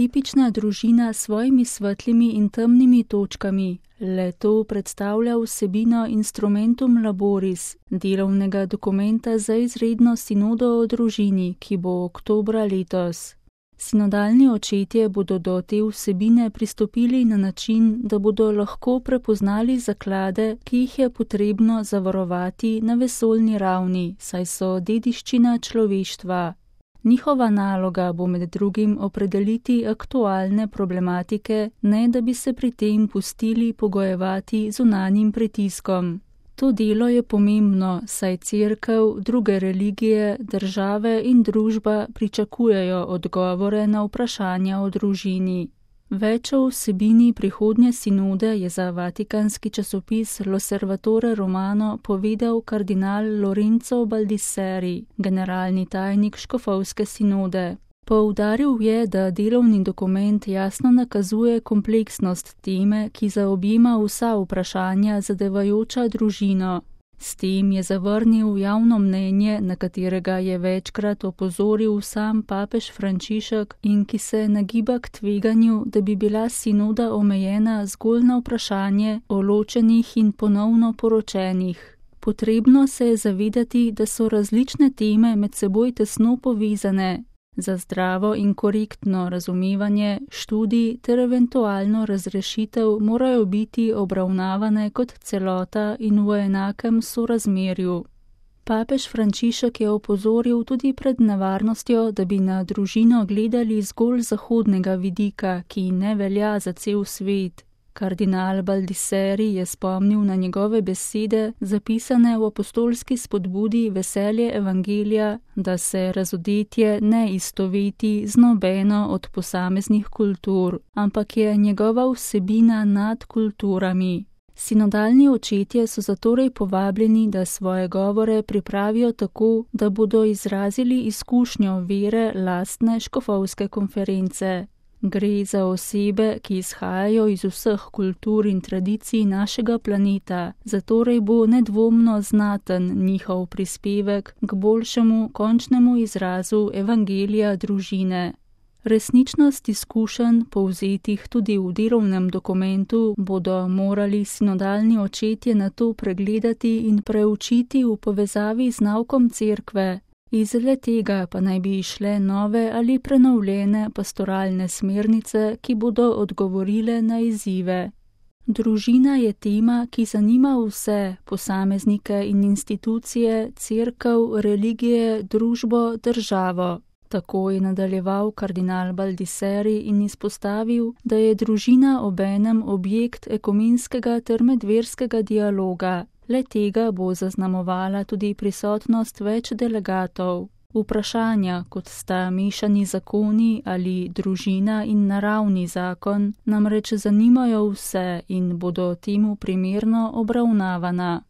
tipična družina s svojimi svetlimi in temnimi točkami, le to predstavlja vsebino Instrumentum Laboris, delovnega dokumenta za izredno sinodo o družini, ki bo oktobra letos. Sinodalni očetje bodo do te vsebine pristopili na način, da bodo lahko prepoznali zaklade, ki jih je potrebno zavarovati na vesoljni ravni, saj so dediščina človeštva. Njihova naloga bo med drugim opredeliti aktualne problematike, ne da bi se pri tem pustili pogojevati zunanjim pritiskom. To delo je pomembno, saj Cerkev, druge religije, države in družba pričakujejo odgovore na vprašanja o družini. Več o vsebini prihodnje sinode je za vatikanski časopis L'Osservatore Romano povedal kardinal Lorenzo Baldisseri, generalni tajnik škofovske sinode. Poudaril je, da delovni dokument jasno nakazuje kompleksnost teme, ki zaobjema vsa vprašanja zadevajoča družino. S tem je zavrnil javno mnenje, na katerega je večkrat opozoril sam papež Frančišek in ki se nagiba k tveganju, da bi bila sinoda omejena zgolj na vprašanje o ločenih in ponovno poročenih. Potrebno se je zavedati, da so različne teme med seboj tesno povezane. Za zdravo in korektno razumevanje študij ter eventualno razrešitev morajo biti obravnavane kot celota in v enakem sorazmerju. Papež Frančišek je opozoril tudi pred nevarnostjo, da bi na družino gledali zgolj zahodnega vidika, ki ne velja za cel svet. Kardinal Baldisseri je spomnil na njegove besede, zapisane v apostolski spodbudi Veselje evangelija, da se razodetje ne istoveti z nobeno od posameznih kultur, ampak je njegova vsebina nad kulturami. Sinodalni očetje so zatorej povabljeni, da svoje govore pripravijo tako, da bodo izrazili izkušnjo vere lastne škofovske konference. Gre za osebe, ki izhajajo iz vseh kultur in tradicij našega planeta, zatorej bo nedvomno znaten njihov prispevek k boljšemu končnemu izrazu evangelija družine. Resničnost izkušenj, povzetih tudi v delovnem dokumentu, bodo morali sinodalni očetje nato pregledati in preučiti v povezavi z naukom Cerkve. Iz le-tega pa naj bi išle nove ali prenovljene pastoralne smernice, ki bodo odgovorile na izzive. Družina je tema, ki zanima vse, posameznike in institucije, cerkev, religije, družbo, državo. Tako je nadaljeval kardinal Baldisseri in izpostavil, da je družina obenem objekt ekumenskega ter medverskega dialoga. Le-tega bo zaznamovala tudi prisotnost več delegatov. Vprašanja, kot sta mešani zakoni ali družina in naravni zakon, namreč zanimajo vse in bodo temu primerno obravnavana.